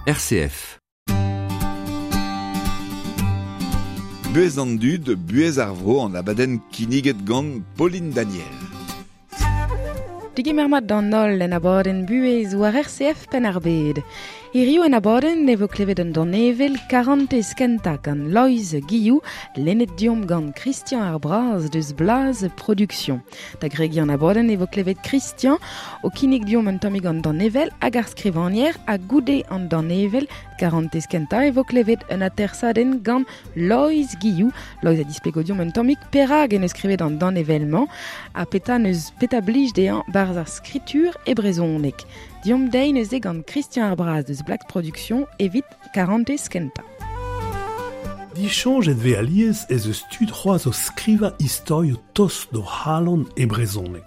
RCF. Buhez an dud, buhez ar vro an abadenn kinniget gant Pauline Daniel. Digemer mat d'an holl en abadenn buhez war RCF Penn-ar-Bed. Hiriv en abadenn e vo klevet un danevell karantez kentañ gant Loeiz Guillou, lennet deomp gant Christian ar Braz deus Blaz Production. Da gregiñ an abadenn e vo klevet Christian o kinnig deomp un tammig an danevell hag ar skrivagner ha goude an danevell karantez kentañ e vo klevet un atersadenn gant Loeiz Guillou. Loeiz a displego deomp un tammig perak en deus skrivet an danevell-mañ ha petra neus petra blij dezhañ barzh ar skritur e brezhoneg. Deomp dezhi neuze gant Christian ar Braz deus Black Production evit karantez kentañ. Disoñjet 'vez alies ez eus tud c'hoazh o skrivañ istorioù tost d'o c'halon e brezhoneg,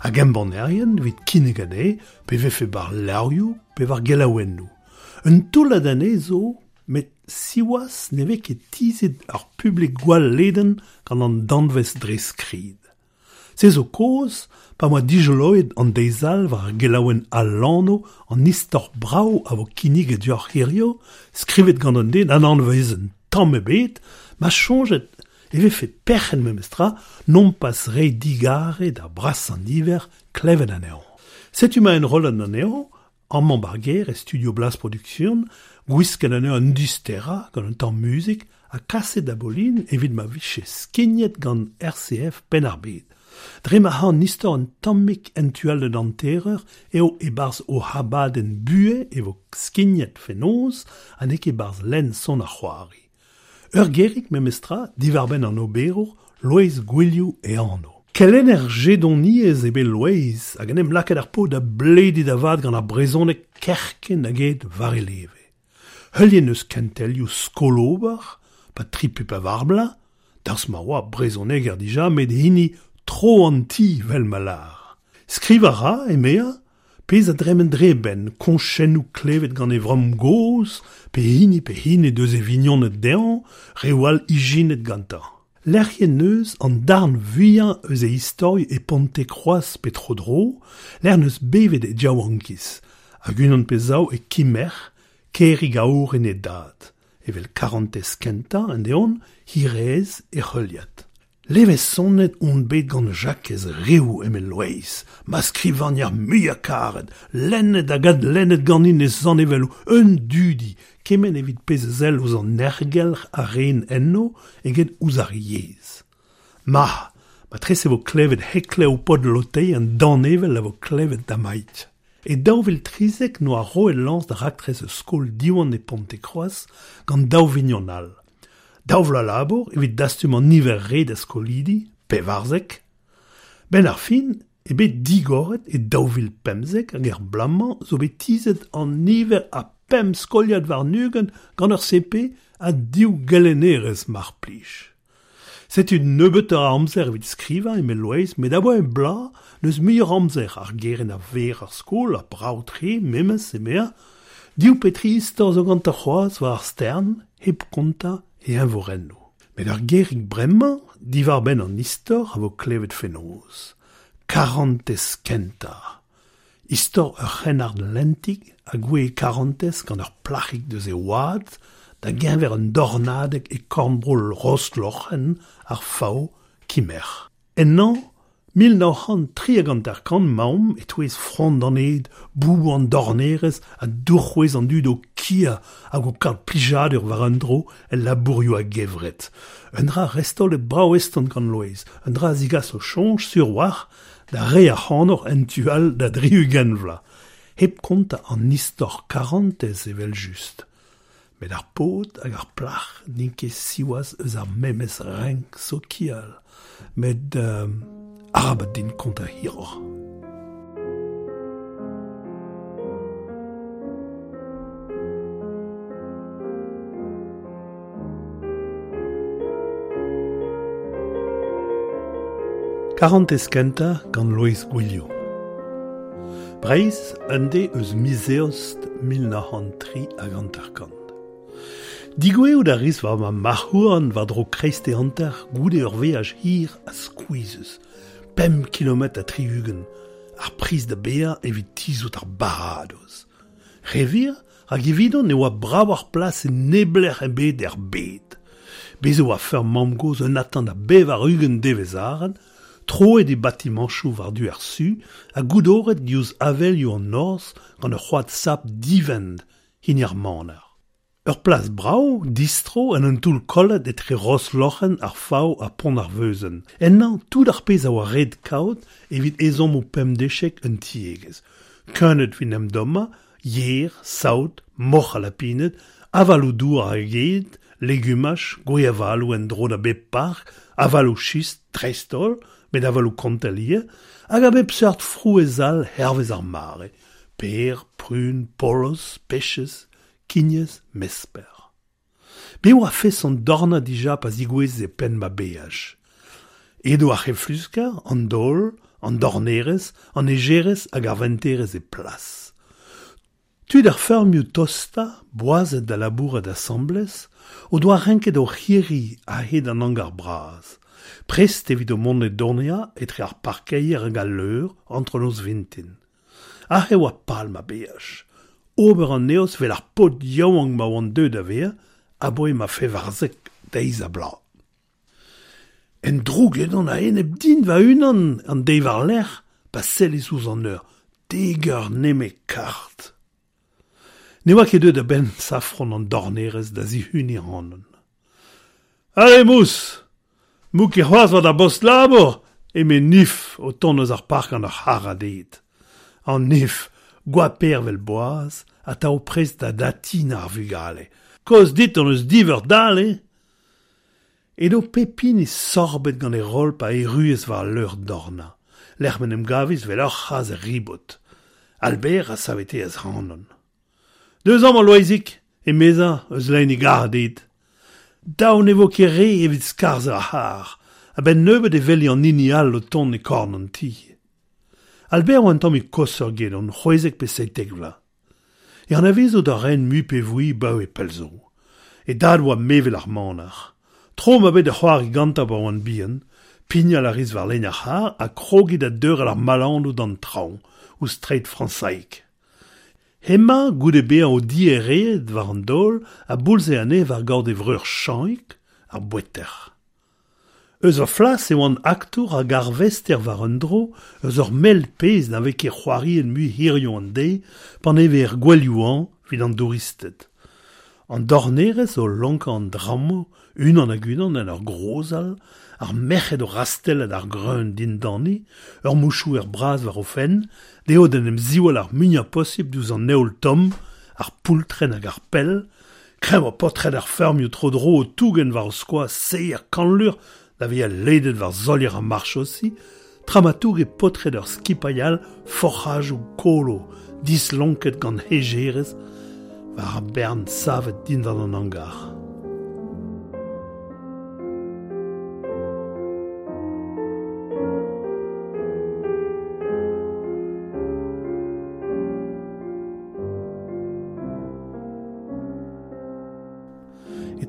hag embannerien evit kinnig anezhe pe vefe war levrioù pe war gelaouennoù. Un toullad anezhe zo, met siwazh ne vez ket tizhet ar publik gwall ledan gant an danvez dre skrid. Se zo kaoz pa 'moa dijoloet an deiz all war ar gelaouenn Al Lanv an istor brav a vo kinniget deoc'h hiziv, skrivet gant un den anavezet tamm ebet, ma soñjet e vefe perc'henn memestra nompas reiñ digarez d'ar brasañ niver klevet anezhañ. Setu ma enrollan anezhañ amañ 'ba'r gêr e studio Blaz Production, gwisket anezhañ un disterañ gant un tamm muzik ha kaset da Bolin evit ma vije skignet gant RCF Penn-ar-Bed. Dre ma c'ha an istor un tammig en tu all d'un hantereur eo e-barzh o abadenn buhez e vo skignet fenoz ha n'eo ket 'barzh lenn son ar c'hoari. Ur gerig memestra diwar-benn an oberour Loeiz Gwilhou e anv. Kelenner jedoniezh eo bet Loeiz hag en em lakaet ar paotr da blediñ da vat gant ar brezhoneg kerkent hag aet war e leve. Heuliet 'neus kentelioù skol-ober, pa tri pe pevar bloaz, daoust ma oa brezhoneger dija met hini tro an ti 'vel ma lâr. Skrivañ a ra, emezañ, pezh a dremen dre e benn, koñchennoù klevet gant e vamm-gozh pe hini pe hini deus e vignoned dezhañ, reoù all ijinet gantañ. Lec'hiet 'neus an darn vuiañ eus e istorioù e Pontekroaz pe tro-dro, lec'h 'neus bevet e yaouankiz, hag unan pe zaou e Kimerc'h, kêrig aour en e dad, evel karantez kentañ end-eeun hiraezh e heuliad. Levezonet on bet gant Jakez Riou, eme Loeiz, ma skrivagner muiañ-karet, lennet hag adlennet ganin e zanevelloù, un dudi, kement evit pezh a sell ouzh an aergelc'h a ren enno eget ouzh ar yezh. Ma, matrese e vo klevet heklev paotr Lotei an danevell a vo klevet damaik. E 2013 'noa roet lañs da raktres eus skol Diwan e Pontekroaz gant daou vignon all. Daou vloaz labour evit dastum an niver ret a skolidi, 14. 'Benn ar fin eo bet digoret e 2015 hag er bloaz-mañ zo bet tizhet an niver a pemp skoliad warn-ugent gant ur CP ha div gelennerez mar plij. Setu nebeutoc'h a amzer evit skrivañ eme Loeiz met abaoe bloaz n'eus muioc'h amzer ar gerent a ver ar skol ha brav-tre memes emezañ. Div pe tri istor zo gantañ c'hoazh war ar stern hep kontañ e eñvorennoù. Met ur gerig bremañ diwar-benn an istor a vo klevet fenoz. Karantez kentañ. Istor ur c'hrennard lentig a gouezh e karantez gant ur plac'hig deus e oad da-geñver un dornadeg e korn-bro Rostloc'henn ar Faou, Kimerc'h. Ennañ 1953 'maomp e-touez frond an ed, bouboù an dornerezh ha dour-c'hwez an dud o kiañ hag o kaout plijadur war un dro el labourioù a-gevret. Un dra restaolet brav-eston gant Loeiz, un dra a zigaso soñj sur 'walc'h da re ac'hanoc'h en tu all da dri-ugent vloaz, hep kontañ an istor karantez evel-just. Met ar paotr hag ar plac'h n'int ket siwazh eus ar memes renk sokial. Met arabat din kontañ hiroc'h. Karantez kentañ gant Loeiz Gwilhou. Breizh, un deiz eus miz Eost 1953. Digouezhout a ris war ma marc'h-houarn war-dro kreisteiz hanter goude ur veaj hir ha skuizhus, pemp kilometr ha tri-ugent, ar priz da baeañ evit tizhout ar baradoz. Re wir, Rak evidon ne oa bravoc'h plas e neblec'h ebet er bed. Bez' e oa feurm mamm-gozh un atant a 80 devezh-arat, troet e batimañchoù war-du ar su ha goudoret diouzh avelioù an norzh gant ur c'hoad sapr divent, hini ar maner. Ur plas brav, distro, en un toull kollet etre Rosloc'hen, ar Faou ha Pont ar Veuzenn. Ennañ tout ar pezh a oa ret kaout evit ezhommoù pemdeziek un tiegezh. Keuneud evit en em dommañ, yer, saout, moc'h ha lapined, avaloù-douar hag ed, legumaj, gwez-avaloù en-dro da bep park, avaloù-chistr dreist-holl, met avaloù-kontell ivez, hag a bep seurt frouezh all hervez ar mare, per, prun, poloz, pechez, kignez, mesper. Bez' oa feson dornañ dija pa zigouezhe e penn ma beaj. Edo ar c'heflusker, an daol, an dornerez, an hejerez hag ar venterez e plas. Tud ar feurmioù tostañ, boazet da labourat asambles, o doa renket o c'hirri a-hed an hangar bras, prest evit o mont e dorniañ etre ar parkeier hag al leur antronoz vintin. Aze e oa pal ma beaj, ober an eost 'vel ar paotr yaouank ma oan deuet da vezañ aboe ma 14 deiz-ha-bloaz. En droug edon a-enep din va-unan an deiz war-lerc'h pa sellis ouzh an eur, dek eur nemet kard. Ne oa ket deuet a-benn safron an dornerez da zihuniñ ac'hanon. Ale mous! M'out ket c'hoazh war da bost-labour! eme Nif o tont eus ar park gant ur c'harrad ed. An Nif, goapaer 'vel boaz, atav prest da datinañ ar vugale. Kaoz dit hon eus diveur dale! Edo pep hini sorbet gant e roll pa erruas war al leur-dornañ, lec'h m'en em gavis 'vel ur c'hazh er ribot. Albert a saveteas ac'hanon. Deus amañ, Loeizig, emezañ eus lein e garrad ed. Dav ne vo ket re evit skarzhañ ar c'harr. A-benn nebeut e weli an hini all o tont e korn an ti. Albert oa un tammig koshoc'h gedon, 16 pe 17 vloaz. E anavezout a raen mui pe vui 'baoe pell zo. E dad oa mevel ar maner. Tro 'ma bet da c'hoari gantañ pa oan bihan. Pignal a ris war lein ar c'harr ha krogiñ da deurel ar malanoù d'an traoñ, ouzh treid Frañsaig. Hemañ, goude bezañ o diereet war an daol, a boulze anezhe war gaout e vreur Chañig, ar boueter. Eus va flas e oan aktour hag arvester war un dro eus ur mell pezh na vez ket c'hoariet mui hiziv an deiz paneve er gouelioù-hañv evit an douristed. An dornerez o lonkañ an drammoù unan hag unan en ur grozal, ar merc'hed o rastellat ar greun dindani, ur mouchouer bras war o fenn, dezho d'en em ziwall ar muiañ posipl diouzh an heol tomm, ar poultrenn hag ar pell, Kreñv oa paotred ar feurmioù tro-dro o tougen war o skoaz seier kanlur da vezañ ledet war solier ar marchosi, tra ma touge paotred ur skipailh all forc'hajoù kolo dislonket gant hejerez war ar bern savet dindan an hangar.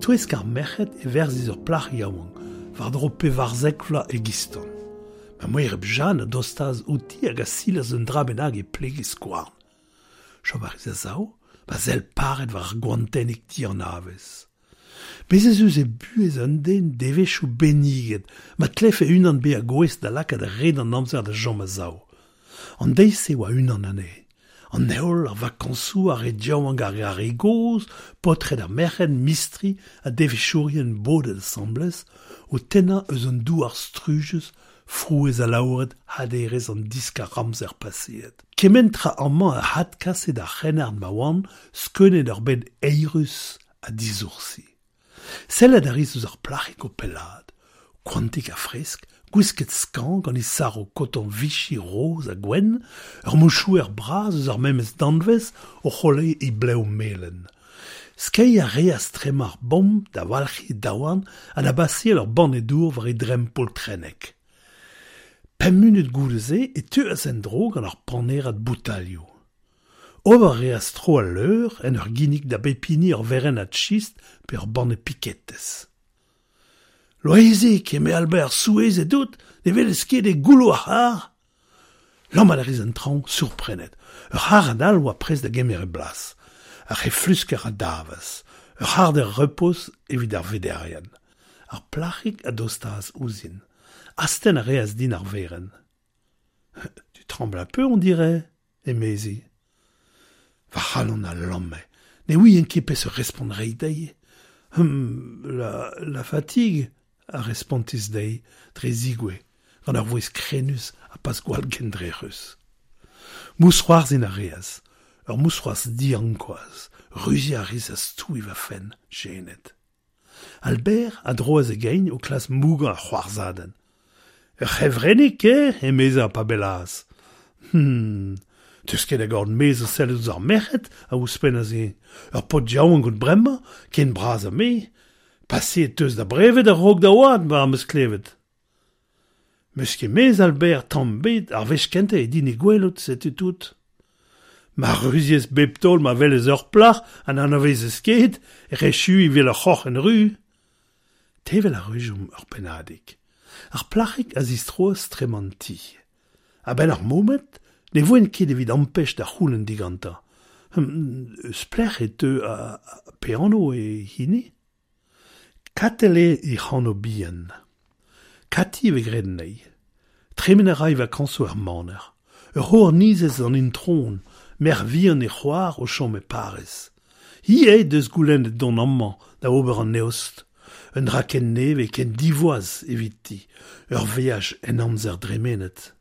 E-touesk ar merc'hed e verzis ur plac'h yaouank, war-dro 14 vloaz e-giston. Ma moereb Jeanne a dostaas outi hag a silas un dra bennak e pleg he skouarn. Chom a ris a-sav, ma sell paret war ar goantennig dianavez. Bez' ez eus e buhez un den devezhioù benniget ma tlefe unan bezañ gouest da lakaat red an amzer da chom a-sav. An deiz-se oa unan anezhe. An heol, ar vakañsoù, ar re yaouank hag ar re gozh, paotred ha merc'hed, mistri ha devezhourien bodet asambles, o tennañ eus an douar strujus frouezh alaouret haderezh an diskar-amzer paseet. Kement tra amañ a adkase d'ar c'hrennard ma oan skeunet ur bed eirus ha disoursi. Sellet a ris ouzh ar plac'hig o pellaat, koantik ha fresk, gwisket skañv gant he saro koton Vichy roz ha gwenn, ur mouchouer bras eus ar memes danvez o c'holeiñ he blev melen. Skeiñ a reas trema ar bomp da walc'hiñ he daouarn ha da baseal ur banne dour war he dremm poltrennek. Pemp munut goude-se e teuas en-dro gant ur panerad boutailhoù. Ober a reas tro al leur en ur ginnig da bep hini ur werennad chistr pe ur banne piketez. Loeizig, eme Albert, souezhet out, ne welez ket eo goullo ar c'harr? Lammat a ris en traoñ, sourprenet. Ur c'harrad all oa prest da gemer e blas. Ar c'heflusker a davas, ur c'harder repoz evit ar vederien. Ar plac'hig a dostaas ouzhin. Astenn a reas din ar werenn. Tu trembles un peu, on dirait, emezi. Va c'halon a lamme. Ne ouien ket peseurt respont reiñ dezhi. La fatigue, a respontis dezhi dre zigouez, gant ur vouezh krenus ha pas gwall gendrec'hus. Mousc'hoarzhin a reas, ur mousc'hoarzh diankouazh, ruziañ a ris ha stouiñ va fenn, jenet. Albert a droas e gein o klask mougañ ar c'hoarzhadenn. Ur c'hevrennig eo, emezañ pa bellaas. Teus ket a gaout mezh o sellet ouzh ar merc'hed, a ouzhpennas eñ. Ur paotr yaouank out bremañ, ken bras ha me. Paseet teus da brevet a-raok da oad, mar am eus klevet. M'eus ket mezh, Albert, tamm ebet, ar wech kentañ eo din he gwelout, setu tout. Ma ruziez bep taol ma welez ur plac'h ha n'anavezez ket, e ec'h echui evel ur c'hoc'henn ru. Tevel a rejomp ur pennadig. Ar plac'hig a zistroas trema an ti. A-benn ar momed ne voen ket evit ampech da c'houlenn digantañ. Eus pelec'h e teu ha pe anv eo hini? Katell eo hec'h anv bihan. Kati e vez graet anezhi. Tremen a ra e vakañsoù er maner. Ur c'hournizez an intron, merc'h vihan he c'hoar o chom e Pariz. Hi eo he deus goulennet dont amañ da ober an eost. Un dra ken nevez, ken divoas eviti, ur veaj en amzer dremenet.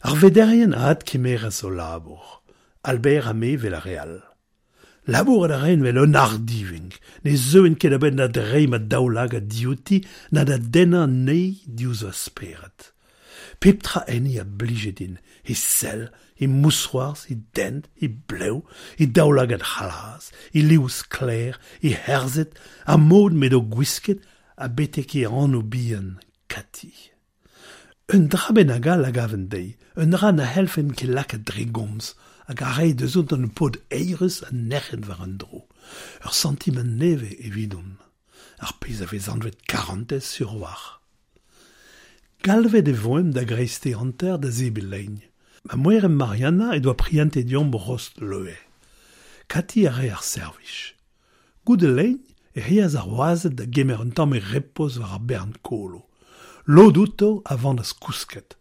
Ar vederien a adkemeras o labour, Albert ha me 'vel ar re all. Labourat a raen 'vel un ardivink, ne zeuen ket a-benn da dreiñ ma daoulagad diouti na da dennañ anezhi diouzh va spered. Pep tra enni a blije din, he sell, he mousc'hoarzh, he dent, he blev, he daoulagad c'hlas, he liv sklaer, he c'herzhed, ar mod m'edo gwisket ha betek he anv bihan, Kati. Un dra bennak all a gaven dezhi, un dra na c'hellfen ket lakaat dre gomz, hag a rae deus un paotr eürus ha nec'het war un dro. Ur santimant nevez evidon, ar pezh a vez anvet karantez sur a-walc'h. Galvet e voemp da greisteiz hanter da zebriñ lein. Ma moereb Marianna he doa prientet deomp rost leue. Kati a rae ar servij. Goude lein e reas ar wazed da gemer un tammig repoz war ar bern kolo. Lod outo a vanas kousket.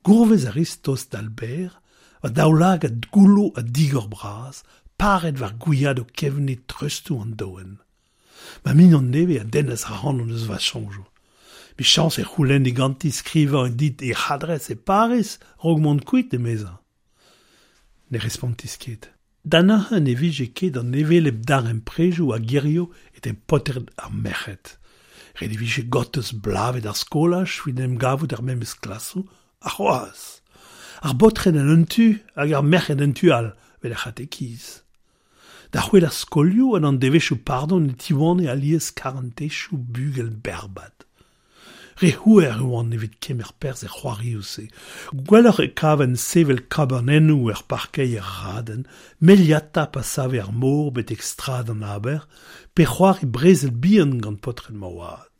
Gourvez a ris tost d'Albert, va daoulagad goullo ha digor-bras, paret war gwiadoù kevnid treustoù an doenn. Ma mignon nevez a dennas ac'hanon eus va soñjoù. Michañs e c'houlenni ganti skrivañ dit hec'h adres e Pariz 'raok mont kuit, emezañ. Ne respontis ket. Da neuze ne vije ket an hevelep darempredoù a hirio etre paotred ha merc'hed. Ret e vije gortoz bloavezh ar skolaj evit en em gavout er memes klasoù, ha c'hoazh! Ar baotred en un tu hag ar merc'hed en tu all, 'vel ar c'hatekiz. Da c'hwel ar skolioù ha d'an devezhioù pardon e tiwane alies karantezioù bugel berrbad. Re c'houer e oan evit kemer perzh er c'hoarioù-se. Gwelloc'h e kaven sevel kabanennoù er parkeier raden, meliata pa save ar mor betek strad an aber, pe c'hoari brezel bihan gant paotred ma oad.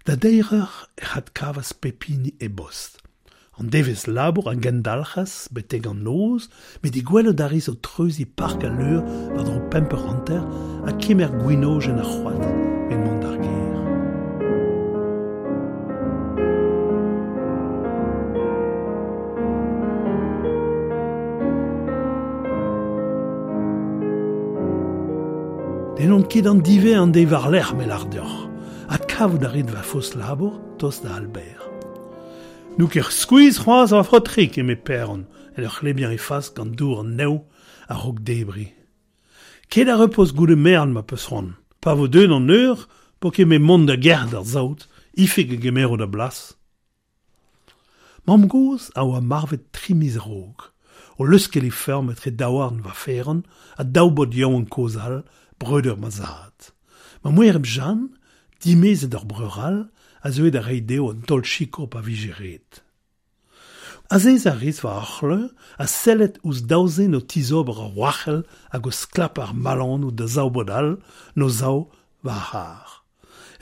Da deir eur ec'h adkavas pep hini e bost. An devezh labour a gendalc'has betek an noz, met he gwelout a ris o treuziñ Park al Leur war-dro pemp eur hanter ha kemer gwinojenn ar c'hoad evit mont d'ar gêr. N'hellont ket an diwezhañ an deiz war-lerc'h, me lâr deoc'h. Adkavout a rit va fost-labour tost da Albert. N'out ket skuizh c'hoazh, va faotrig, eme Paeron, en ur c'hlebiañ e fas gant dour an nev a-raok debriñ. Ket a repoz goude merenn ma 'peus c'hoant. Pa vo deuet an eur, 'po ket 'met mont da gerc'hat ar saout, Ifig a gemero da blas. Mamm-gozh a oa marvet tri miz a-raok, o leuskel he feurm etre daouarn va faeron ha daou baotr yaouank kozh all, breudeur ma zad. Ma moereb Jeanne, dimezet d'ur breur all, a zeue da reiñ dezho un taol sikour pa vije ret. Azezañ a ris war ar c'hleuñ ha sellet ouzh daou zen o tizober ur wrac'hell hag o sklapañ ar malanoù da zaou baotr all 'n o sav war ar c'harr.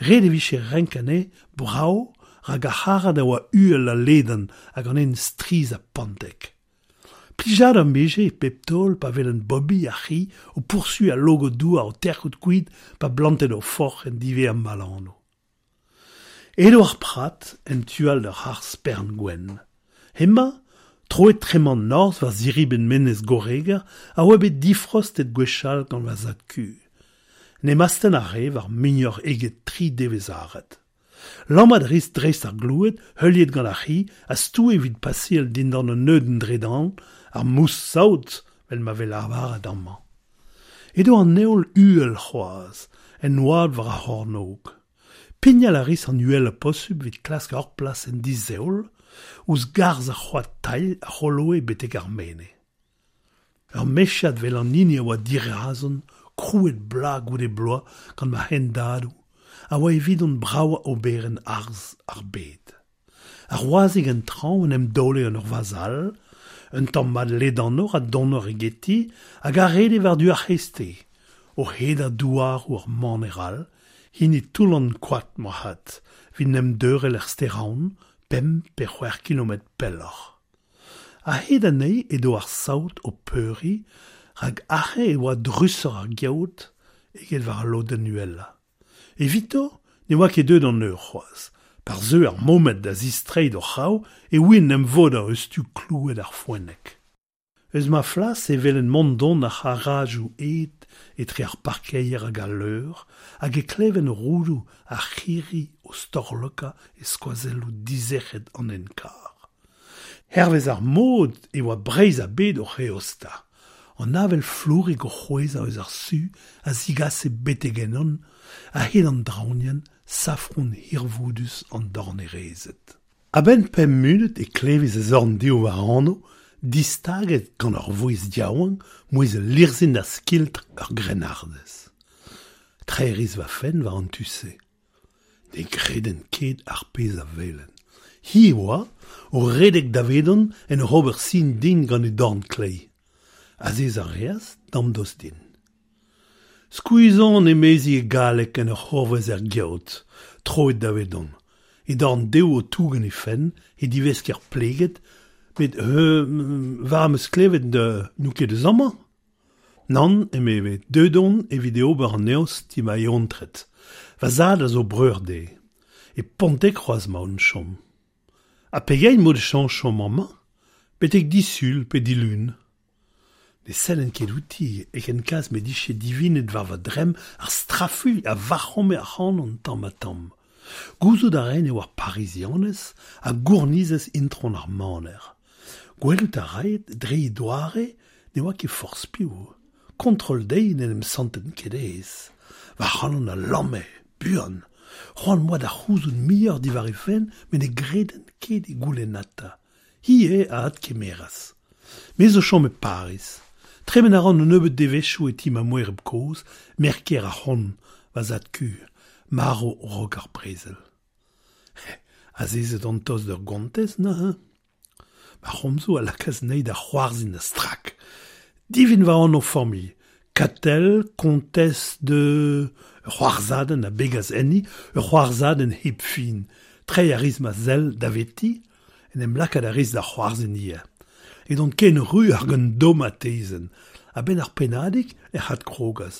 Ret e vije renkañ anezhe brav rak ar c'harrad a oa uhel ha ledan hag an hent strizh ha pantek. Plijad am beje pep taol pa velen Bobby ar c'hi o poursu al logo douar o terc'hout kuit pa blantet o forc'h en dive am malano. Edo ar prat en tual d'ur ar spern gwenn. Hema, troet tremant norz war ziriben menez goreger a oa bet difrost et gwechal gant va zad kur. Ne masten ar re war muioc'h eget tri devez aret. Lammat ris dreist ar gloued, heuliet gant ar c'hi, a stoue evit passeal dindan an neudenn dredan, ar mous saout, vel ma vel arvaret amañ. Edo an neol uhel c'hoazh, en oad war ar c'hornôg. Pignal a ris an uhel a posubl evit klask ur plas en dizeol, ouzh garzh ar c'hoad tailh a c'holoe betek ar mene. Ur mechad vel an hini a oa dirazon, krouet bloaz goude bloaz gant ma hendadoù, a oa evidon bravañ oberenn arz ar bed. Ar wazhig en traoñ en em daole en ur vazh all, un tamm mat ledanoc'h ha donoc'h egeti, hag a rede war-du ar c'hreisteiz, o hedañ douaroù ar maner all, hini Toull-an Koad moarvat, evit en em deurel er stêr-Aon, pemp pe c'hwec'h kilometr pelloc'h. A-hed anezhi edo ar saout o peuriñ, rak aze e oa drusoc'h ar geot eget war al lodenn uhelañ. Evito ne oa ket deuet an eur c'hoazh. Par zeu ar momed da zistreiñ d'o c'hraou e ouient em vodañ eus tu kloued ar foenneg. Eus ma flas e welen mont-dont ar c'harrajoù ed etre ar parkeier hag al leur, hag e kleven roudoù ar c'hirri o storlokañ e skoazelloù dizec'het an hent-karr. Hervez ar mod e oa Breizh a-bed oc'h eostañ. An avel flourik o c'hwezhañ eus ar su a zigase betek ennon, a-hed an draoñienn, safron hirvoudus an dornerezed. A-benn pemp munut e klevis e zorn dezho war anv, distaget gant ur vouezh yaouank, mouezh lirzhin ha skiltr ur grennardez. Treiñ 'ris va fenn war an tu-se. Ne greden ket ar pezh a welen. Hi e oa, o redek davedon en ur ober sin din gant he dorn kleiz. Azezañ a reas damdost din. Skuizh on emezi e galleg en ur c'hourvez er geot, troet davedon. He dorn dehoù o tougen he fenn, he divesker pleget, met war am eus klevet n'out ket eus amañ? Nann, emeve, deuet on evit e ober an eost ti ma eontred. Va zad a zo breur dezhe. E Pontekroaz 'maon 'chom. Ha pegeit 'mod chañs chom amañ? Betek disul pe dilun. Ne sellen ket outi e ken kaz m'he dije divinet war va dremm ar strafuilh a vac'home ac'hanon tamm-ha-tamm. Gouzout a raen e oa Parizianez ha gournizez intron ar maner. Gwelout a raed dre he doare ne oa ket forzh piv. Kontrol dezhi n'en em santen ket aes. Va c'halon a lamme, buan. C'hoant 'm boa da c'houzout muioc'h diwar he fenn met ne greden ket he goulennata. Hi eo a adkemeras. Me zo chom e Pariz. Tremen a ran un nebeud devezhioù e ti ma moereb kozh, merc'h-kaer ar c'hont, va zad-kozh, marv 'raok ar brezel. Azezet on tost d'ur gontez neuze. Ma c'homzoù a lakaas anezhi da c'hoarzhin a-strak. Divin va anv familh, Katell, kontez de... Ur c'hoarzhadenn a begas enni, ur c'hoarzhadenn hep fin. Treiñ a ris ma sell daveti, en em lakaat a ris da c'hoarzhin ivez. Edon ken ru hag un domatezenn. A-benn ar pennadig ec'h adkrogas.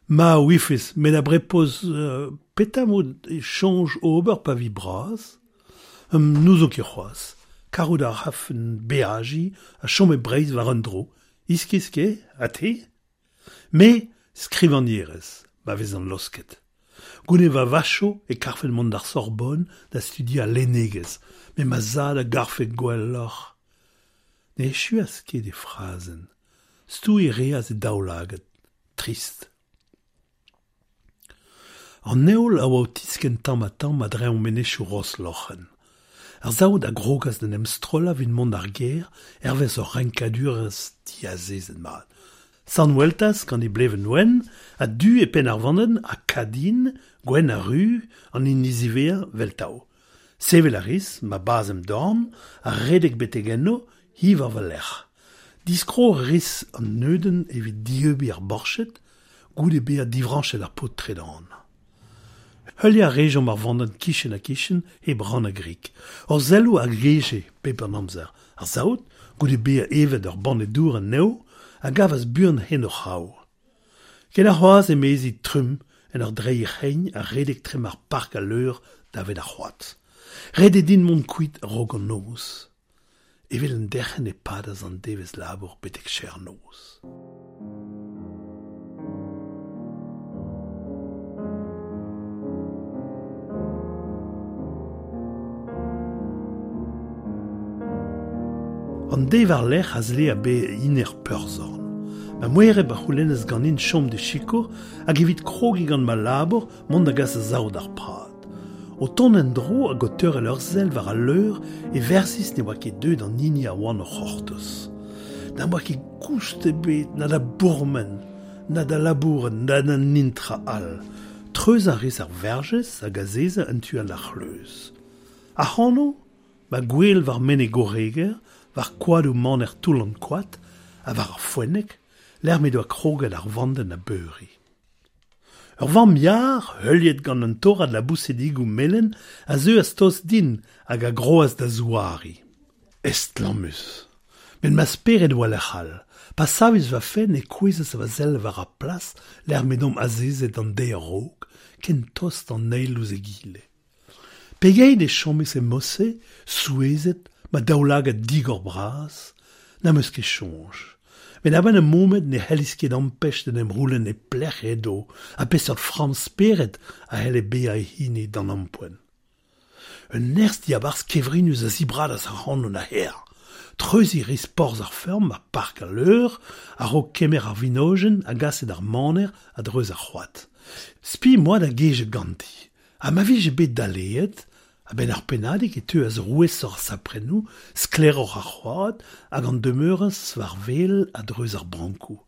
Ma ouifes, met a-brepoz petra 'mod e soñj ober pa vi bras? N'ouzon ket c'hoazh. Karout a rafen beajiñ ha chom e Breizh war un dro. Iskis ket, ha te? Me, skrivagnerez, ma vezan laosket. Goude va vacho e karfen mont d'ar Sorbonne da studiañ lennegezh, met ma zad a garfe gwelloc'h. Ne echuas ket e frazenn. Stouiñ 'reas e daoulagad, trist. An heol a oa o tiskenn tamm-ha-tamm a-dreñv menezioù Rosloc'hen. Ar saout a grogas d'en em strollañ evit mont d'ar gêr hervez ur renkadurezh diazezet mat. Sant Weltaz gant e blevenn wenn ha du e penn ar vandenn ha Kadin, gwenn ha ruz, an hini ziwezhañ 'veltav. Sevel a ris, ma bazh em dorn, ha redek betek eno, hi war va lerc'h. Diskrog a ris an neudenn evit dieubiñ ar borched, goude bezañ divrañchet ar paotr tredan. Heuliañ a rejomp ar vandenn kichen-ha-kichen hep rannañ grik. Hor selloù a geje bep an amzer. Ar saout, goude bezañ evet ur banne dour anezho, a gavas buan hent o c'hraou. Ken ar c'hoazh emezi trumm en ur dreiñ he c'hein ha redek trema ar park al leur davet ar c'hoad. Ret eo din mont kuit a-raok an noz. Evel un derc'henn e padas an devezh labour betek serr-noz. An deiz war-lerc'h a zlee bezañ hini ar peurzorn. Ma moereb a c'houlennas ganin chom d'e sikour hag evit krogiñ gant ma labour mont da gas a-sav d'ar prad. O tont en-dro hag o teurel ur sell war al leur e verzis ne oa ket deuet an hini a oan o c'hortoz. N'am boa ket goust ebet na da bourmen, na da labourat, na da netra all. Treuzañ a ris ar verjez hag azezañ en tu all d'ar c'hleuz. Ac'hano, ma gwel war Menez Goreger, war koadoù maner Toull-an-Koad ha war ar foenneg, lec'h m'he doa kroget ar vandenn a beuriñ. Ur vamm-yar, heuliet gant un torad labousedigoù melen, a zeuas tost din hag a groas da zouariñ. Estlammus! Met ma spered 'oa lec'h all. Pa savis va fenn e kouezhas va sell war ar plas lec'h m'edomp azezet an deiz a-raok, ken tost an eil ouzh egile. Pegeit e chomis e mod-se, souezhet, ma daoulagad digor-bras? N'am eus ket soñj. Met a-benn ur momed ne c'hellis ket ampech d'en em c'houlenn e pelec'h edo ha peseurt framm spered a c'helle bezañ e hini d'an ampoent. Un nerzh diabarzh kevrinus a zibradas ac'hanon a-herr. Treuziñ 'ris porzh ar feurm ha park al leur a-raok kemer ar vinojenn a gase d'ar maner a-dreuz ar c'hoad. Spi 'm boa da gejañ ganti. Ha ma vije bet daleet, a-benn ur pennadig e teuas rouesoc'h ar saprennoù, sklaeroc'h ar c'hoad hag an demeurañs war wel a-dreuz ar brankoù.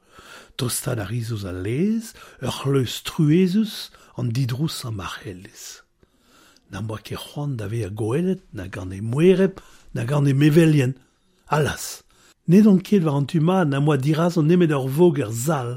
Tostaat a ris ouzh al laez, ur c'hleuz truezus, an didrousañ ma c'hellis. N'am boa ket c'hoant da vezañ gwelet na gant he moereb na gant he mevelien. Allas! N'edon ket war an tu mat n'am boa dirazon nemet ur voger sall.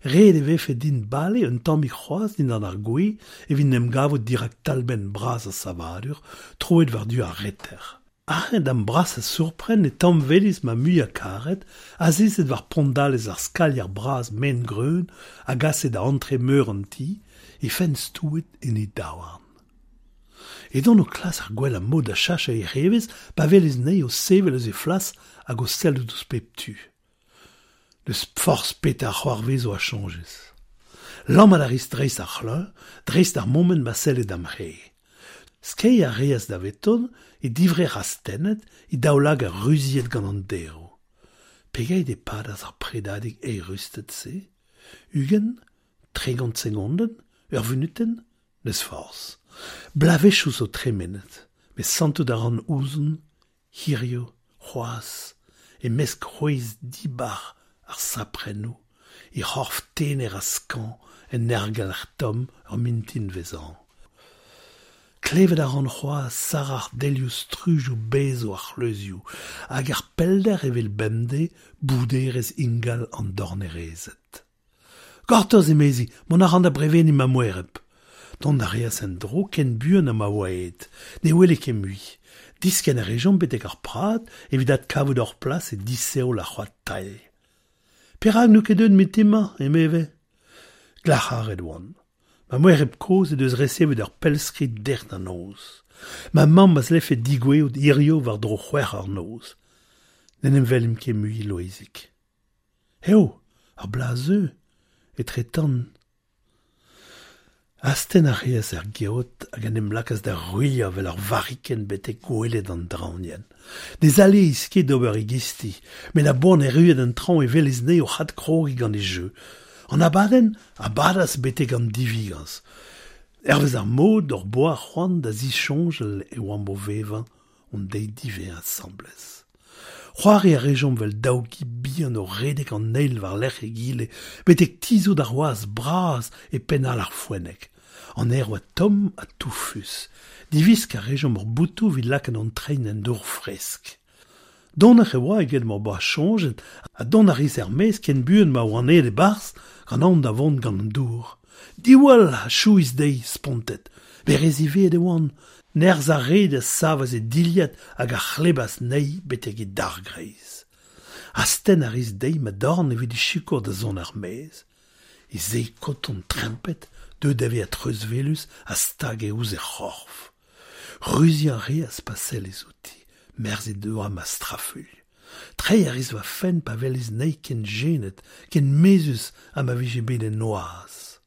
Ret e vefe din bale un tammig c'hoazh dindan ar gwez evit 'n em gavout dirak talbenn bras ar savadur, troet war-du ar reter. Aze da'm brasañ sourpren e tamm-welis ma muiañ-karet, azezet war pondalez ar skalier bras maen-greun a gase da antre meur an ti, he fenn stouet en he daouarn. Edon o klask ar gwellañ mod da cheñchañ hec'h evezh pa welis anezhi o sevel eus he flas hag o sellout ouzh pep tu. N'eus forzh petra a c'hoarvezo a soñjis. Lammat a ris dreist ar c'hleuñ, dreist ar moment ma selle da'm c'hreiz. Skeiñ a reas daveton, he divrec'h astennet, he daoulagad ruziet gant an daeroù. Pegeit e padas ar predadig eürusted-se? 20, 30 segondenn? Ur vunutenn? N'eus forzh. Bloavezhioù zo tremenet, met santout a ran ouzon, hiziv, c'hoazh, e-mesk c'hwezh dibar ar saprennoù, he c'horf tener ha skañv en aergelc'h tomm ur mintinvezh hañv. Klevet a ran c'hoazh sarac'h delioù strujoù bezv ar c'hleuzioù hag er pellder evel bemdez bouderezh ingal an dornerezed. Gortoz, emezi, mont a ran da breveniñ ma moereb. Dont a reas en-dro ken buan ha ma oa aet. Ne wele ket mui. Diskenn a rejomp betek ar prad evit adkavout hor plas e disheol ar c'hoad tailh. Perak n'eo ket deuet mintin-mañ, emeve? Glac'haret oan. Ma moereb kozh he deus resevet ur pellskrid dec'h da noz. Ma mamm a zlefe degouezhout hiziv war-dro c'hwec'h eur noz. N'en em welimp ket mui, Loeizig. Eo, ar bloaz 'zeu, etretant. Astenn a reas er geot hag en em lakaas da ruilhañ 'vel ur varrikenn betek goueled an draoñienn. Ne zaleis ket d'ober e gisti, met a-boan erruet en traoñ e welis anezhi oc'h adkrogiñ gant e jeu. An abadenn a badas betek an divigañs. Hervez ar mod hor boa c'hoant da zisoñjal e oamp o vevañ hon deiz diwezhañ asambles. C'hoari a rejomp 'vel daou gi bihan o redek an eil war-lerc'h egile betek tizhout ar wazh bras e penn all ar foenneg. An aer 'oa tomm ha toufus. Diwiskañ a rejomp hor botoù evit lakaat hon treid en dour fresk. Donoc'h e oa eget m'hor boa soñjet ha dont a ris er-maez ken buan ma oan aet e-barzh gant aon da vont gant an dour. Diwall! a chouis dezhi, spontet. Met re ziwezhat e oan. Nerzh ar red a savas he dilhad hag a c'hlebas anezhi betek he dargreiz. Astenn a ris dezhi ma dorn evit he sikour da zont er-maez. He sae koton trempet, deuet da vezañ treuzwelus a stage ouzh he c'horf. Ruziañ a reas pa sellis outi, merzet 'doa ma strafuilh. Treiñ a ris va fenn pa welis anezhi ken jenet, ken mezhus ha ma vije bet en noazh.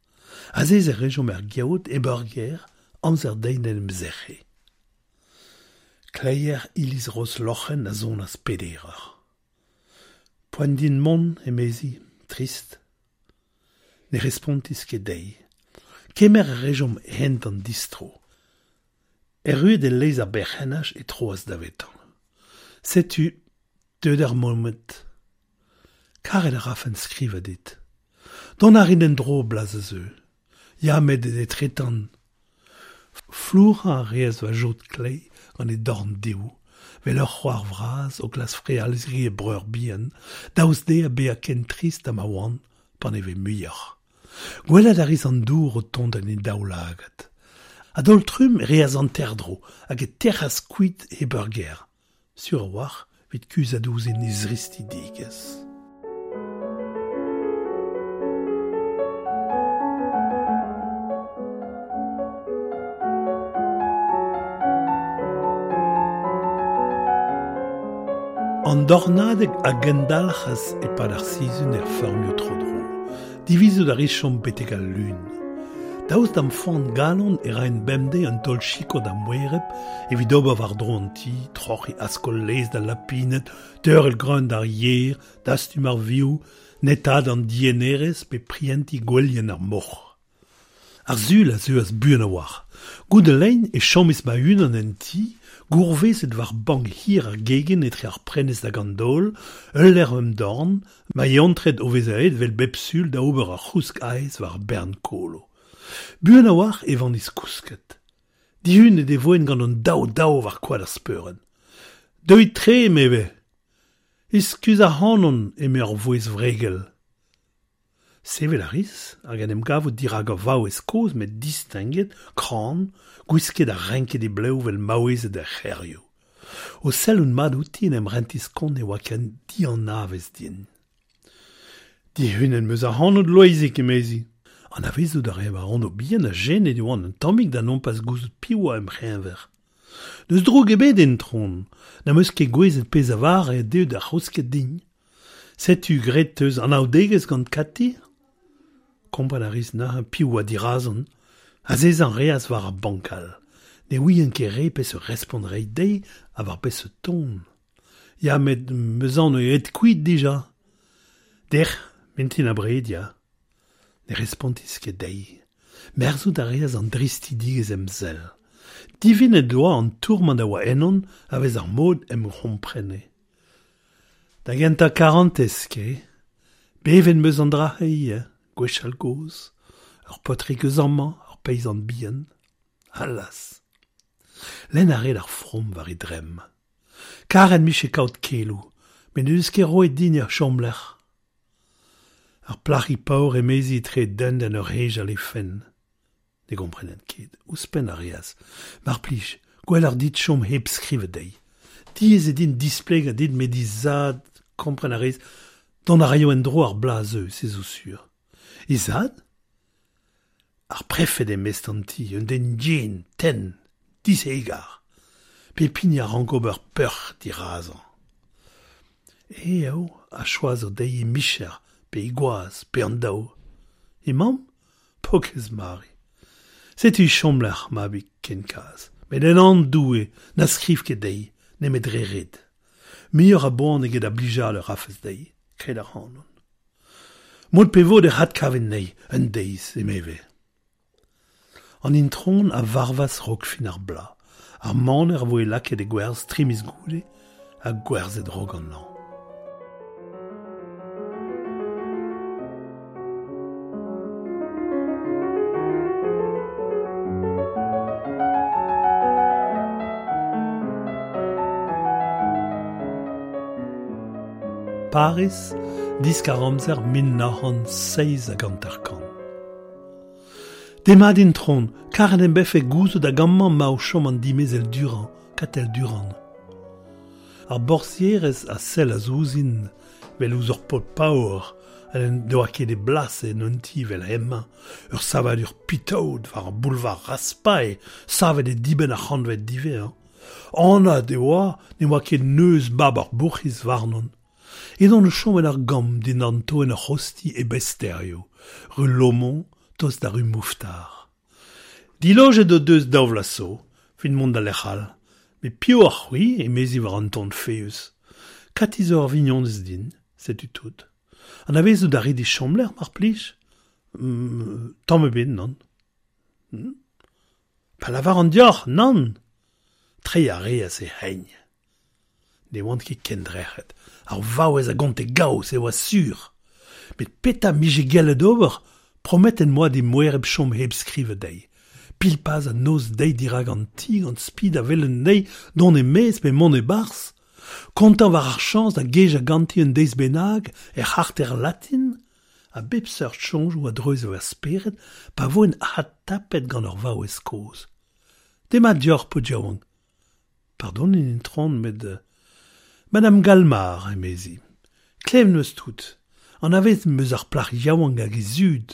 Azezañ a rejomp er geot hep ur ger, amzer dezhi d'en em sec'hiñ. Kleier iliz Rosloc'hen a sonas peder eur. Poent din mont, emezi, trist. Ne respontis ket dezhi. Kemer a rejomp hent an distro. Erruet e lez ar berc'hennaj e troas davetañ. Setu deuet ar momed. Karet a rafen skrivañ dit. Dont a rin en-dro bloaz a zeu. Ya met etretant. Flourañ a reas va jod kleiz gant he dorn dehoù, 'vel ur c'hoar vras o klask frealziñ he breur bihan, daoust dezhañ bezañ ken trist ha ma oan, paneve muioc'h. Gwelet a ris an dour o tont en he daoulagad. A-daol-trumm e reas hanter-dro hag e tec'has kuit hep ur ger, sur a-walc'h evit kuzhat ouzhin he zristidigezh. An dornadeg a gendalc'has e-pad ar sizhun er feurmioù tro-dro. Divizout a ris chom betek al Lun. Daoust da'm foan-galon e raen bemdez un taol sikour da'm moereb evit ober war-dro an ti, troc'hiñ askol laezh d'al lapined, teurel greun d'ar yer, dastum ar vioù, netaat an diennerez pe prientiñ gwelien ar moc'h. Ar Sul a zeuas buan a-walc'h. Goude lein e chomis ma-unan en ti, gourvezet war bank hir ar gegin etre ar prenestr hag an daol, ul levr em dorn, ma eontred o vezañ aet 'vel bep Sul da ober ur c'housk aes war ar bern kolo. Buan a-walc'h e vanis kousket. Dihunet e voen gant an daou-daou war koad ar speurenn. Deuit tre, emeve. Eskuz ac'hanon, eme ur vouezh wregel. Sevel a ris hag en em gavout dirak ur vaouez kozh met distinget, kran, gwisket ha renket he blev 'vel maouezed er c'hêrioù. O sellout mat outi en em rentis kont e oa ken dianavez din. Dihunet 'm eus ac'hanout, Loeizig, emezi. Anavezout a rae va anv bihan ha jenet e oan un tammig da nompas gouzout piv oa em c'heñver. N'eus droug ebet intron, n'am eus ket gouezet pezh a vare eo deuet ar c'housket din. Setu graet 'teus anaoudegezh gant Kati? Kompren a ris neuze piv oa dirazon. Azezañ a reas war ar bank all. Ne ouien ket re peseurt respont reiñ dezhi ha war peseurt ton. Ya met 'm eus aon eo aet kuit dija. Dec'h, mintin abred, ya. Ne respontis ket dezhi. Merzout a reas an dristidigezh em sell. Divinet 'doa an tourmant a oa ennon a-vez ar mod em c'homprene. Da gentañ karantez, ke. Bevet 'm eus an dra-se ivez, gwechall-gozh. Ur paotrig eus amañ, ur peizant bihan. Allas! Lenn a rae ar from war e dremm. Karet 'mije kaout keloù, met n'he deus ket roet din ur chomlec'h. Ar plac'hig paour emezi etre dent en ur hejal he fenn. Ne gomprenen ket. Ouzhpenn a reas. Mar plij, gwelloc'h dit chom hep skrivañ dezhi. Diaes eo din displegañ dit met he zad, kompren a rez, dont a raio en-dro ar bloaz a zeu, se zo sur. He zad? Ar prefed eo mestr an ti, un den yen, tenn, dishegar. Pep hini a rank ober peoc'h dirazañ. Eñ eo a choazo dezhi he micher, pe he gwaz, pe an daou. He mamm? Paourkaezh Mari. Setu he chomlec'h, mabig, kenkaz. Met en anv Doue, na skriv ket dezhi, nemet dre ret. Muioc'h a boan eget a blijadur a rafes dezhi, kred ac'hanon. Mod pe vod ec'h adkavin anezhi, un deiz, emeve. An intron a varvas 'raok fin ar bloaz. Ar maner a voe lakaet e gwerzh tri miz goude ha gwerzhet 'raok an hañv. Pariz, diskar-amzer 1957. Demat intron, karet em befe gouzout hag amañ 'ma o chom an dimezell Durand, Katell Durand. Ar borzhierez a sellas ouzhin 'vel ouzh ur paotr paour ha n'en doa ket e blas en un ti 'vel hemañ, ur savadur pitaod war ar boulevard Raspail, savet e dibenn ar c'hantved diwezhañ. Anat e oa ne oa ket neuz mab ar bourc'hiz warnon. Edon o chom en ur gambr dindan toenn ur c'hozhti e Besterio, ru Lomont, tost da ru Mouffetard. Dilojet o deus daou vloaz zo, evit mont da lec'h all. Met piv oc'h c'hwi? emezi war an ton faeüs. Kati zo ur vignonez din, setu tout. Anavezout a rit he chomlec'h, mar plij? Tamm ebet, nann. Pa lavaran deoc'h, nann! Treiñ a reas he c'hein. Ne oan ket kendrec'het. Ar vaouez a gonte gaou, se oa sur. Met petra 'mije gellet ober? Prometet 'm boa d'he moereb chom hep skrivañ dezhi. Pilpaz ha noz-deiz dirak an ti gant spi da welet anezhi dont e-maez pe mont e-barzh. Kontañ war ar chañs da gejañ ganti un deiz bennak er c'harter latin? A bep seurt soñjoù a dreuze va spered pa voen adtapet gant ur vaouez kozh. Demat deoc'h, paotr yaouank. Pardonit, itron, met Madame Galmar, emezi. Klevet 'm eus tout. Anavezet 'm eus ar plac'h yaouank hag he zud.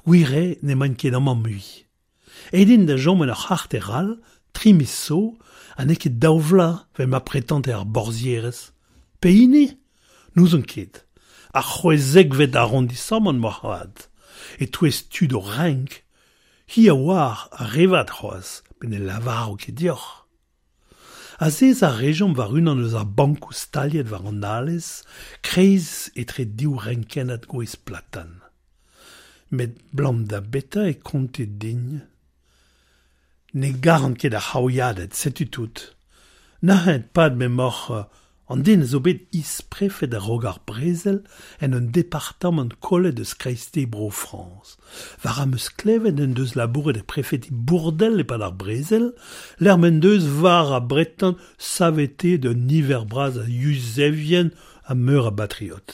Gwir eo n'emaint ket amañ mui. Aet int da chom en ur c'harter all, tri miz zo, ha n'eo ket daou vloaz 'vel ma pretante ar borzhierez. Pehini? N'ouzon ket. Ar c'hwezekvet arondisamant moarvat. E-touez tud o renk, hi a oar ar re vat c'hoazh, met ne lavaro ket deoc'h. Azezañ a rejomp war unan eus ar bankoù staliet war an alez, kreiz etre div renkennad gwez platan. Met 'blam da betra e konte din? Ne garan ket ar c'haouiaded, setu tout. Neuze e-pad m'emaoc'h an den a zo bet isprefed a-raok ar brezel en un departamant kollet eus kreisteiz Bro-Frañs. War am eus klevet en deus labouret e prefeti Bourdel e-pad ar brezel, lec'h m'en deus war a bretan saveteet un niver bras a Yuzevien ha meur a batriot.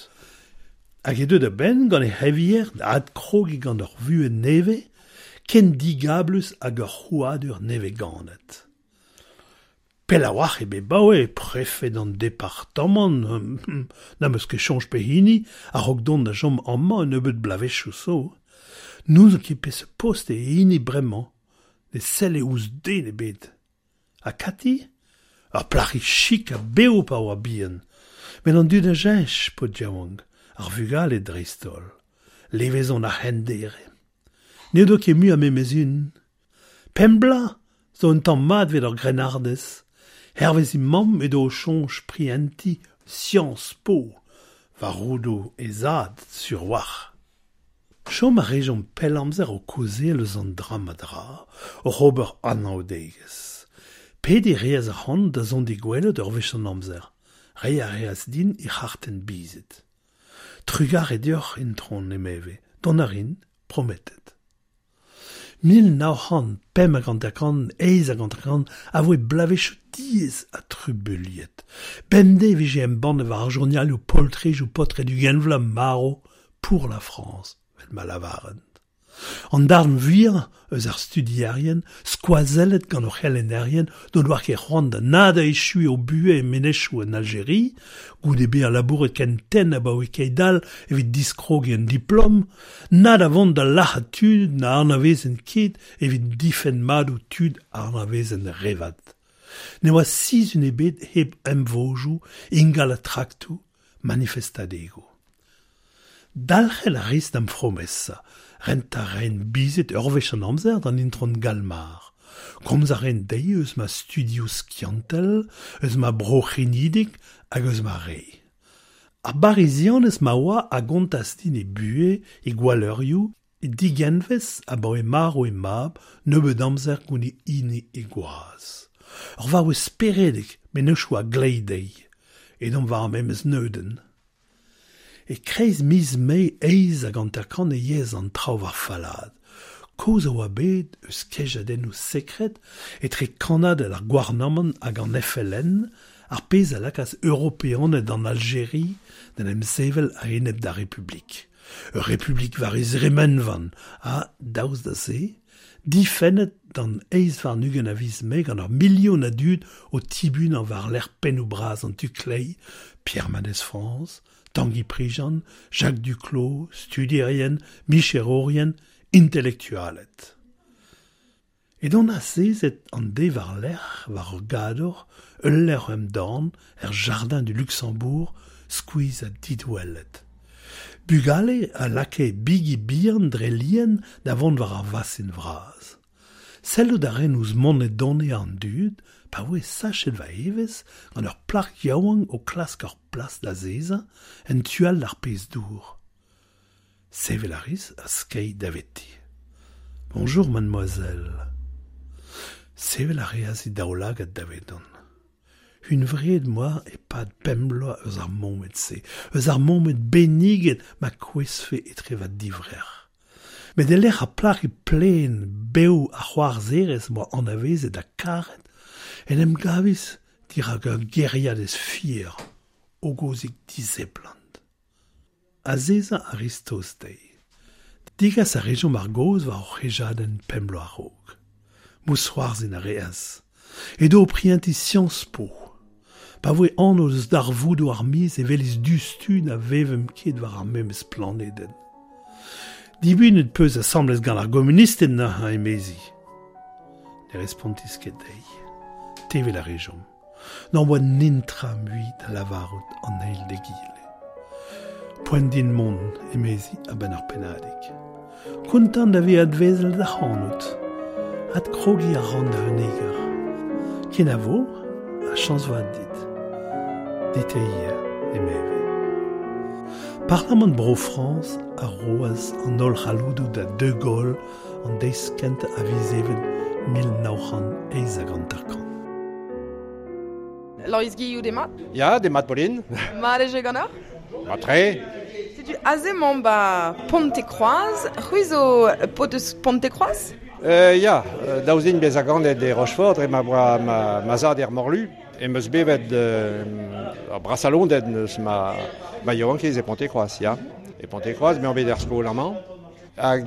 Hag eo deuet a-benn gant e c'hevier da adkrogiñ gant ur vuhez nevez, ken digablus hag ur c'hrouadur nevez-ganet. Pell a-walc'h eo bet 'baoe prefed an departamant, n'am eus ket soñj pehini, a-raok dont da chom amañ un nebeud bloavezhioù zo. N'ouzon ket peseurt post eo e hini bremañ, ne selle ouzh den ebet. Ha Kati? Ur plac'hig chik ha bev pa oa bihan. Met an dud a cheñch, paotr yaouank, ar vugale dreist-holl. Levezon ar c'hendere. N'edo ket mui ar memes un. Pemp bloaz zo un tamm mat evit ur grennardez. Hervez he mamm edo o soñj prientiñ Sciences Po war roudoù he zad sur 'walc'h. Chom a rejomp pell amzer o kaozeal eus an dra-mañ-dra, oc'h ober anaoudegezh. Pediñ a reas ac'hanon da zont d'he gwelet ur wech an amzer. Reiñ a reas din he c'hartenn bizit. Trugarez deoc'h, itron, emeve, dont a rin, prometet. 1955 a voe bloavezhioù diaes ha trubuilhet. Bemdez e vije embannet war ar journalioù poltrejoù paotred ugent vloaz marv pour la France, 'vel ma lavarent. An darn vuiañ eus ar studierien, skoazellet gant o c'helennerien, n'o doa ket c'hoant da na da echuiñ o buhez e menezioù en Aljeria, goude bezañ labouret ken tenn abaoe keit-all evit diskrogiñ un diplom, na da vont da lazhañ tud na anavezent ket evit difenn madoù tud a anavezent re vat. Ne oa sizhun ebet hep emvodoù, ingalañ traktoù, manifestadegoù. Dalc'hel a ris da'm fromesa, rentañ a raen bizit ur wech an amzer d'an itron Galmar. Komz a raen dezhi eus ma studioù skiantel, eus ma bro c'henidik hag eus ma re. Ar Barizianez ma oa a gontas din he buhez, he gwalleurioù, he digenvez abaoe marv he mab nebeut amzer goude hini he gwaz. Ur vaouez speredek mennozhioù a-gleiz dezhi. Edomp war ar memes neudenn. E-kreiz miz Mae 58 e yeas an traoù war fallaat. Kaoz a oa bet eus kejadennoù sekred etre kannaded ar gouarnamant hag an FLN, ar pezh a lakaas Europeaned an Aljeri d'en em sevel a-enep d'ar Republik. Ur Republik war he zremenvan ha, daoust da se, difennet d'an 28 a viz Mae gant ur milion a dud o tibunañ war-lerc'h pennoù bras an tu kleiz, Pierre Mendès France, Tanguy Prigent, Jacques Duclos, studierien, micherourien, intelektualed. Edon azezet an deiz war-lerc'h war ur gador, ul levr em dorn, er Jardin du Luxembourg, skuizh ha didouellet. Bugale a lakae bigi bihan dre lien da vont war ar vasin vras. Sellout a raen ouzh monedone an dud pa voe sachet va evezh gant ur plac'h yaouank o klask ur plas d'azezañ en tu all d'ar pezh dour. Sevel a ris ha skeiñ daveti. Bonjour, mademoiselle. Sevel a reas he daoulagad davedon. Hunvreet 'm boa e-pad pemp bloaz eus ar momed-se, eus ar momed benniget ma kouezhfe etre va divrec'h. Met e-lec'h ar plac'hig plaen, bev ha c'hoarzherez 'm boa anavezet ha karet, en em gavis dirak ur gêriadez fier, hogozik diseblant. Azezañ a ris tost dezhi. Degas a rejomp ar gaoz war hor c'hejadenn pemp bloaz a-raok. Mousc'hoarzhin a reas. Edo o prientiñ Sciences Po. Pa voe anv eus darvoudoù ar miz e welis diouzhtu na vevemp ket war ar memes planedenn. Dibunet 'peus asambles gant ar gomunisted neuze, emezi. Ne respontis ket dezhi. Tevel a rejomp. N'am boa netra mui da lavarout an eil d'egile. Poent din mont, emezi a-benn ur pennadig. Kontant da vezañ adwelet ac'hanout. Adkrogiñ a ran da unnek eur. Kenavo ha chañs vat dit. Dit ivez, emeve. Parlamant Bro-Frañs a roas an holl c'halloudoù da De Gaulle an deiz kentañ a viz Even 1958. Loeiz Guillou, demat. Ya, demat Pauline. Mat eo ganeoc'h? Mat-tre. Setu aze emaomp ba Pontekroaz. C'hwi zo paotr eus Pontekroaz? Ya, daoust din bezañ ganet e Rochefort dre ma oa ma zad er Morlu, em eus bevet ur brasañ lodenn eus ma ma yaouankiz e Pontekroaz, ya. E Pontekroaz, me on bet er skol amañ. Hag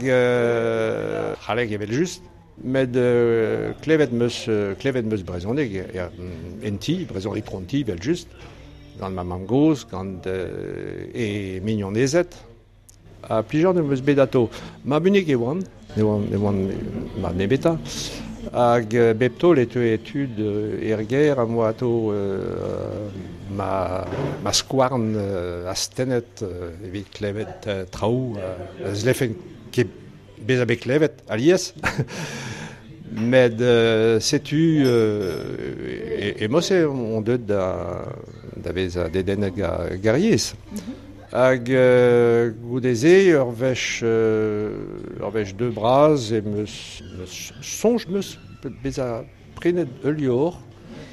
c'halleg evel-just. Met klevet 'm eus klevet 'm eus brezhoneg en ti, brezhoneg tro ti evel-just, gant ma mamm-gozh, gant he mignonezed. Ha plijadur 'm eus bet atao. Mab-unik e oan, ne oan ne oan mab nemetañ. Hag bep taol e teue tud er gêr am boa atao ma ma skouarn astennet evit klevet traoù a zlefen ket bezañ bet klevet alies. Met setu e-mod-se on deuet da vezañ dedennet gant ar yezh. Hag goude-se ur wech ur wech deu bras em eus soñj 'm eus bezañ prenet ul levr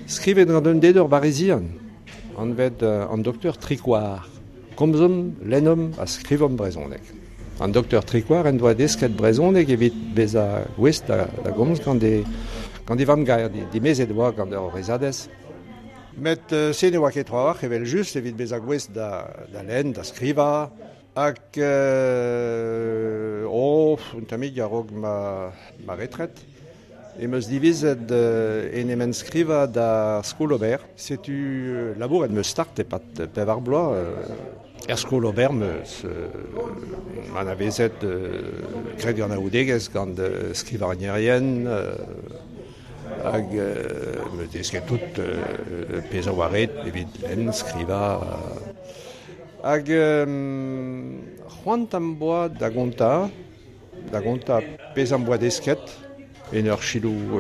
skrivet gant un den ur barizian anvet an doktor Tricoire. Komzomp, lennomp ha skrivomp brezhoneg. An doktor Tricoire en doa desket brezhoneg evit bezañ gouest da gomz gant e gant e vamm-gaer. Dimezet e oa gant ur vreizhadez. Met se ne oa ket trawalc'h evel-just evit bezañ gouest da lenn, da skrivañ. Hag oh, un tammig a-raok ma retret em eus divizet en em enskrivañ da Skol Ober. Setu labouret 'm eus start e-pad pevar bloaz. Er Skol Ober 'm eus anavezet graet anaoudegezh gant skrivagnerien hag 'm eus desket tout pezh a oa ret evit lenn, skrivañ. Hag c'hoant am boa da gontañ, da gontañ pezh am boa desket en ur selaou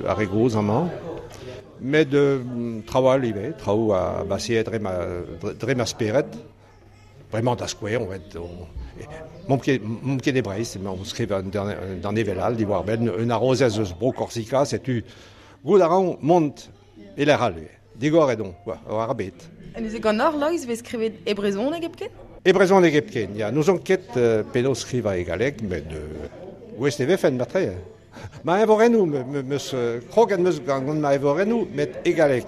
ar re gozh amañ. Met traoù all ivez, traoù a baseet dre ma, dre ma spered. Bremañ da skouer, on M'omp ket, m'omp ket e Breizh, emañ o skrivañ un danevell all diwar-benn un harozez eus Bro-Korsika, setu goût a ran mont e lec'h all ivez. Digoret on war ar bed. Ha neuze ganeoc'h, Loeiz, e vez skrivet e brezhoneg hepken? E brezhoneg hepken, ya. N'ouzon ket penaos skrivañ e galleg, met gouest e vefen marteze. Ma eñvorennoù, 'meus kroget 'meus gant ma eñvorennoù, met e galleg.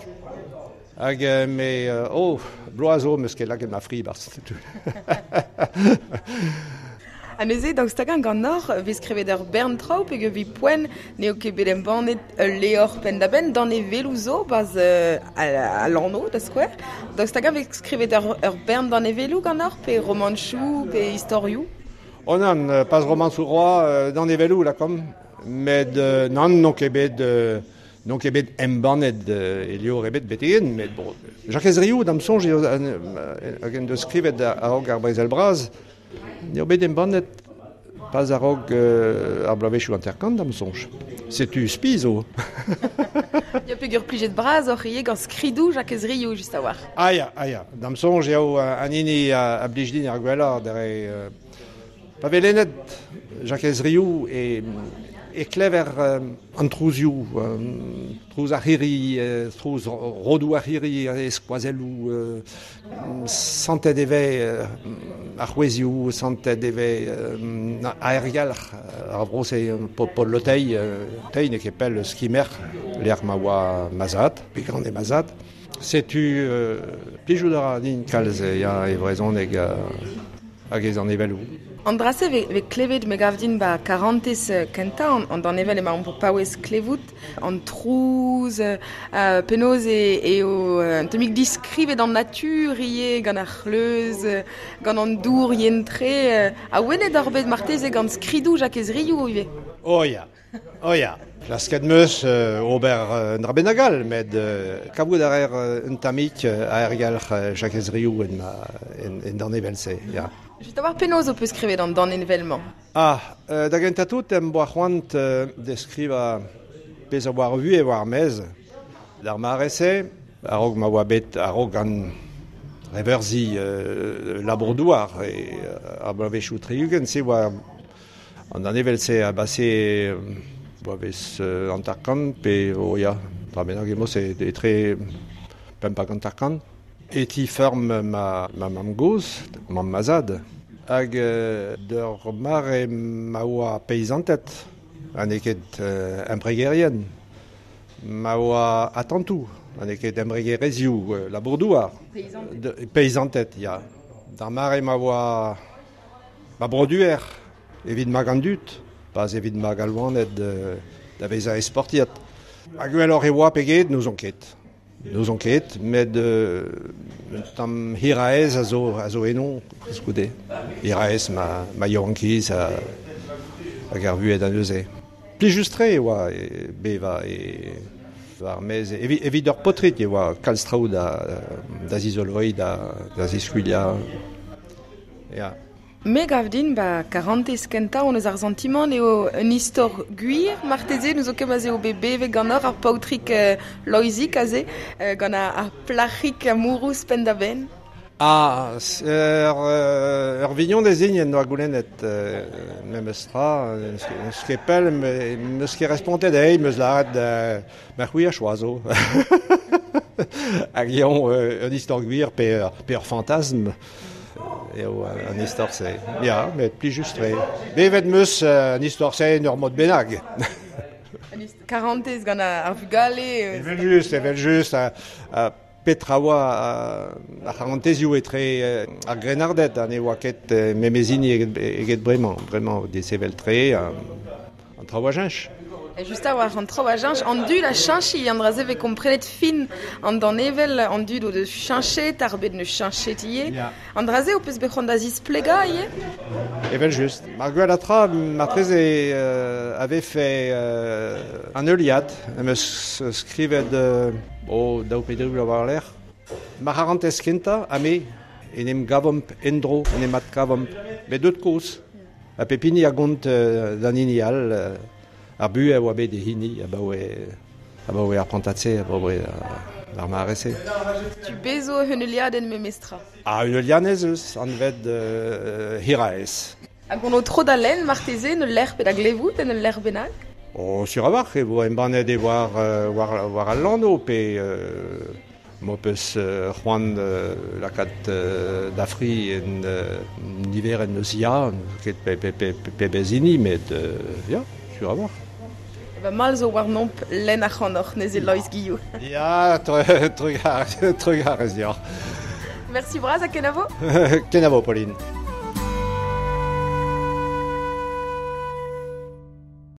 Hag me, oh, bloaz zo 'meus ket lakaet ma fri 'barzh. A neuze, daoust hag-eñ ganeoc'h 'vez skrivet ur bern traoù peogwir evit poent n'eo ket bet embannet ul levr penn-da-benn danevelloù zo 'barzh al Lanv da skouer. Daoust hag-eñ 'vez skrivet ur bern danevelloù ganeoc'h pe romanchoù pe istorioù? Oh nann, pas romanchoù roa, danevelloù lakaomp, met nann n'on ket bet n'on ket bet embannet e levr ebet betek-henn, met bon, Jakez Riou, d'am soñj eo hag en deus skrivet a-raok ar Brezel Bras, n'eo bet embannet pas a-raok ar bloavezhioù 50 d'am soñj. Setu spi zo. Ya peogwir plijet bras oc'h ivez gant skridoù Jakez Riou just a-walc'h. Ah ya, ah ya, d'am soñj eo an hini a blij din ar gwellañ dre Pa vez lennet Jakez Riou e, e klever an trouzioù, trouz ar c'hirri, trouz rodoù ar c'hirri, e skoazelloù, santet e vez ar c'hwezhioù, santet e vez aergelc'h ar vro-se, Paul Lotei, Tei n'eo ket pell eus Kimerc'h, lec'h ma oa ma zad, pe gant ma zad. Setu plijout a ra din kalz ya, e brezhoneg hag ez danevelloù. An dra-se 'vez klevet, me gav din, 'ba karantez kentañ an danevell emaomp o paouez klevout, an trouz, penaos eo un tammig diskrivet an natur ivez gant ar c'hleuz, gant an dour yen-tre. Awenet oc'h bet marteze gant skridoù Jakez Riou ivez? Oh ya, Oh ya, klasket 'm eus ober un dra bennak all, met kavout a reer un tammig aergelc'h Jakez Riou en, en, danevell-se, ya. Just a-walc'h penaos ho peus skrivet an danevell-mañ? Ah, da gentañ tout em boa c'hoant deskrivañ pezh a oa ar vuhez war ar maez. D'ar mare-se, a-raok ma oa bet a-raok an reverzhi labour-douar e ar bloavezhioù 60, se oa An danevell-se a base bloavezh 50 pe o ya, dra bennak emañ se etre 55. E ti feurm ma, ma mamm-gozh, mamm ma zad, hag d'ur mare ma oa peizanted ha n'eo ket embregerien, ma oa atantoù ha n'eo ket embregerezhioù labour-douar. Peizanted, ya. D'ar mare ma oa Ma broduer evit magañ an dud, pas evit magañ loened da vezañ esportiet. Ha gwelloc'h e oa pe get, n'ouzon ket. N'ouzon ket, met un tamm hiraez a zo, a zo eno koulskoude. Hiraez ma, ma yaouankiz hag ar vuhez da neuze. Plijus-tre e oa bevañ e war maez. Evit ur paotrig e oa kalz traoù da, da zizoloiñ, da, da ziskuilhañ. Ya. Me gav din 'ba karantez kentañ hon eus ar santimant eo un istor gwir marteze n'ouzo ket ma'z eo bet bevet ganeoc'h ar paotrig Loeizik aze gant ar plac'hig amourous penn-da-benn. Ah, ur vignonez din en doa goulennet memes tra, n'eus ket pell, n'eus ket respontet dezhi, 'm eus lâret ma c'hwi a choazo. Hag eñ un istor gwir pe ur fantasm. Eo an istor-se. Ya, met plijus-tre. Bevet 'm eus an istor-se en ur mod bennak. Karantez gant ar vugale. Evel-just, evel-just. Ha petra oa ar c'harantezioù etre ar grennarded ha ne oa ket memes hini eget bremañ. Bremañ, desevel-tre, an traoù a cheñch. Just a-walc'h, an traoù a cheñch, an dud a cheñch ivez, an dra-se 'vez komprenet fin an danevell, an dud o deus cheñchet, ar bed 'neus cheñchet ivez. An dra-se ho peus bet c'hoant da zisplegañ ivez? Evel-just. Mar gwellañ tra marteze a vefe an heuliad am eus skrivet oh, daou pe dri bloaz war-lerc'h. Ma c'harantez kentañ ha me en em gavomp en-dro, en em adkavomp, met deut kozh. Ha pep hini a gont d'an hini all ar buhez a oa bet e hini abaoe abaoe ar prantad-se, abaoe ar mare-se. Tu bezo un heuliadenn memestra. Ah, un heuliadez eus anvet Hiraez. Hag on o tro da lenn marteze en ul lec'h pe da glevout en ul lec'h bennak? Oh, sur a-walc'h e vo embannet e war, war, war al lanv pe M'ho peus c'hoant lakaat da fri en niverenn eus Ya, ket pebezh hini, met ya, sur a-walc'h. Ba mall zo warnomp lenn ac'hanoc'h neuze Loeiz Guillou. Ya, trugarez deoc'h. Mersi bras ha kenavo. Kenavo, Pauline.